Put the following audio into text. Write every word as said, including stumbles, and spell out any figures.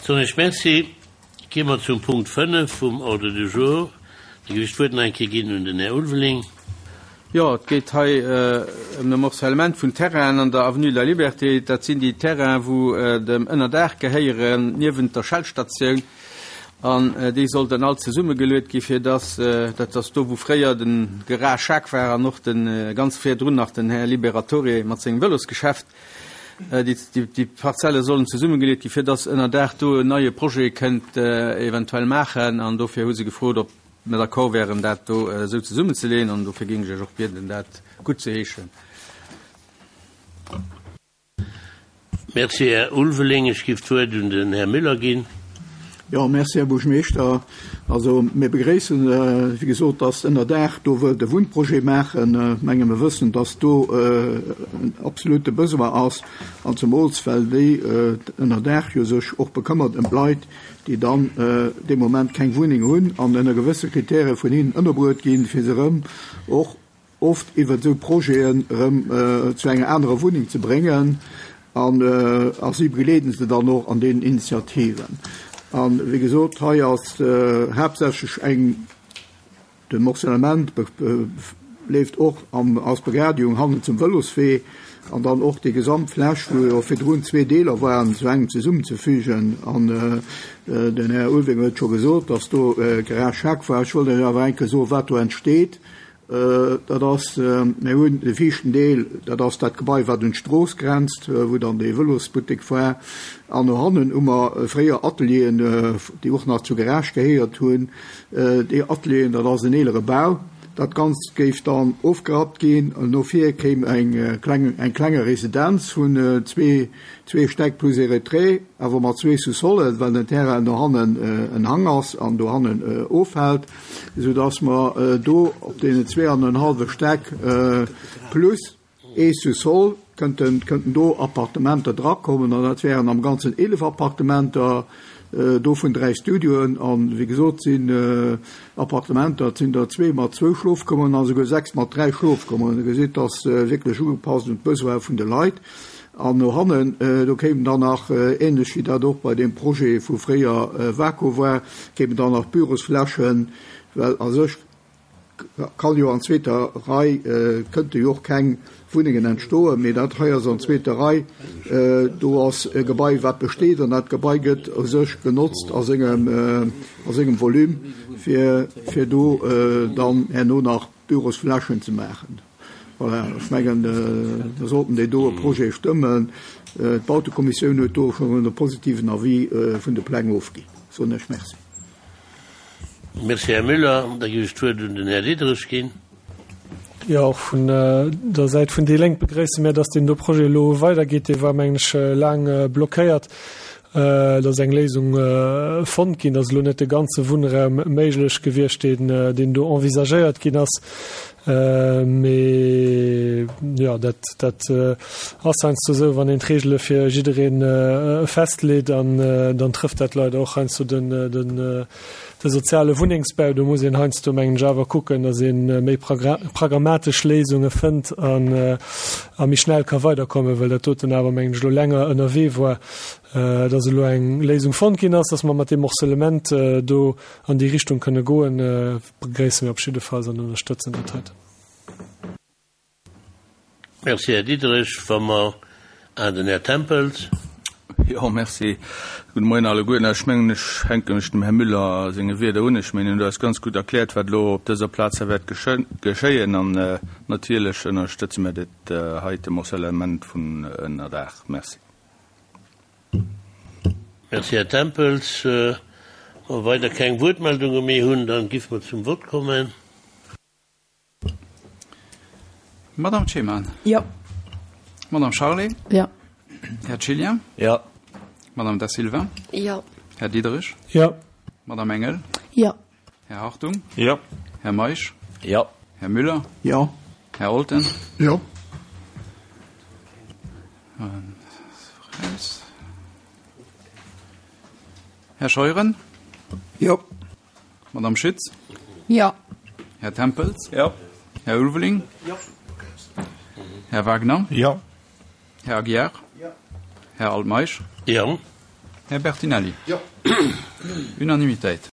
Soen ech Merci. Gi mer zum Punkt fënnef vum Ordre du jour. Da géif ech d'Wuert nach eng Kéier ginn un den Här Ulveling. Jo, et geet hei ëm de Morcellement vun Terrainen an der Avenue de la Liberté. Dat sinn déi Terrainen, wou dem Ënnerdaach gehéieren, niewent der Shell-Statioun. An déi sollten all zesummegeluet gi fir dass, dat ass do wou fréier de Garage Schaack war an och de ganz virdrun nach den Här Liberatore mat sengem Vëlosgeschäft, déi, déi Parzelle sollen zesummegeleet gi fir dass Ënnerdaach do en neie Projet kënnt eventuell maachen. An dofir hu se gefrot, ob mer d'accord wären, dat do esou zesummenzeleeën. An dofir géing ech Iech och bieden, dat guttzeheeschen. Merci, Här Ulveling. Ech giff d'Wuert un den Här Müller ginn. Jo, merci, Här Buergermeeschter. Also, mir begréissen, wéi gesot, dass Ënnerdaach do wëllt e Wunnprojet maachen. Ech menge mir wëssen, dass do en absolute Besoin ass, an zemools well déi Ënnerdaach jo sech och bekëmmert ëm d'Leit, déi dann dee Moment keng Wunneng hunn an ënner gewësse Kritäre vun hinnen ënnerbruet ginn, fir se erëm och oft iwwert esou Projeten erëm zu enger anerer Wunneng ze bréngen. An a si begleeden se dann och an deenen Initiativen. An, wéi gesot, hei ass haaptsächlech eng, de Morcellement leeft och am, als Begradigung hannen zum Vëloswee an dann och déi gesamt Fläch, wou jo virdrun zwee Deeler waren, zu engem zesummenzefügen. An den Här Ulveling huet scho gesot, dass do Garage Schaack war. Ech wollt lech awer eng Kéier soen, wat do entsteet. Dat ass, mir hunn de viischten Deel, dat ass dat Gebai, wat un d'Strooss grenzt, wou dann dee Vëlosbuttek war. An no hannen hu mer fréier Atelieren, déi och nach zur Garage gehéiert hunn. Déi Atelieren, dat ass en eelere Bau. Dat Ganzt géif dann ofgerappt ginn. No vir kéim eng kleng, eng klenge Residenz vun zwee, zwee Stäck plus ee Retrait, awer mat zwee Sous-solen, well den Terrain no hannen en Hang ass an do hannen offält, esou dass mer do op deenen zwee an en hallwe Stäck plus ee Sous-sol kënnten, kënnten do Appartementer drakommen. An dat wären am Ganzen eelef Appartementer, dovun dräi Studioen. An, wéi gesot, sinn Appartementer, et sinn der zwee mat zwou Schlofkummeren a souguer sechs mat dräi Schlofkummeren. Dir gesitt, dat ass wierklech ugepasst un d'Besoine vun de Leit. An no hannen, do kéimen dann nach, ähnlech wéi dat och bei deem Projet vu fréier Waco war, kéimen dann nach Bürosflächen, well a sech kann jo an zweeter Rei, kënnte jo och keng Wunnengen entstoen, mee dat hei ass an zweeter Rei, do ass e Gebai wat besteet an dat Gebai gëtt u sech genotzt a sengem, a sengem Volume, fir, fir do dann herno nach Bürosflächen ze maachen. Voilà, ech mengen, mir sollten deen doe Projet stëmmen. D'Bautekommissioun huet do schonn e positiven Avis vun de Pläng ofginn. Soen ech Merci. Merci, Här Müller. Da géif ech d'Wuert un den Här Diderich ginn. Jo, och vun der Säit vun déi Lénk begréisse mir, dass deen do Projet elo weidergeet. Dee war, mengen ech, laang blockéiert. Et ass eng Léisung fonnt ginn. Et ass elo net de ganze Wunnraum méiglech gewiescht, deen, deen do envisagéiert ginn ass. Mee jo, dat, dat ass heiansdo esou, wann een d'Reegele fir jidderee festleet, an dann trëfft dat leider och heiansdo den, den, de soziale Wunnengsbau. Do muss een heiansdo, mengen ech, awer kucken, datt ee méi pragmatesch Léisunge fënnt an a méi schnell ka weiderkommen, well dat doten awer, mengen ech, elo länger ënnerwee war, datt elo eng Léisung fonnt ginn ass, datt mer mat deem Morcellement do an déi Richtung kënne goen, begréisse mir op jiddefalls an ënnerstëtzen dat heiten. Merci, Här Diderich. Wa mer, ah, den Här Tempels. Jo, merci. Gudde Moien alleguerten. Ech mengen, ech hänke mech dem Här Müller senge Wierder un. Ech mengen, en huet eis ganz gutt erkläert, wat elo op dëser Plaz hei wäert geschéien. An natierlech ënnerstëtze mir dat heite Morcellement vun Ënnerdaach. Merci. Merci, Här Tempels. Wa mer weider keng Wuertmeldunge méi hunn, da géife mer zum Vott kommen. Madame Cheman. Jo. Madame Charlé. Jo. Här Cillien. Jo. Madame Da Silva. Jo. Här Diderich. Jo. Madame Engel. Jo. Här Hartung. Jo. Här Meisch. Jo. Här Müller. Jo. Här Olten. Jo. Här Scheuren. Jo. Madame Schütz. Jo. Här Tempels. Jo. Här Ulveling. Jo. Här Wagner. Jo. Här Aguiar. Jo. Här Altmeisch. Jo. Här Bertinelli. Jo. Unanimitéit.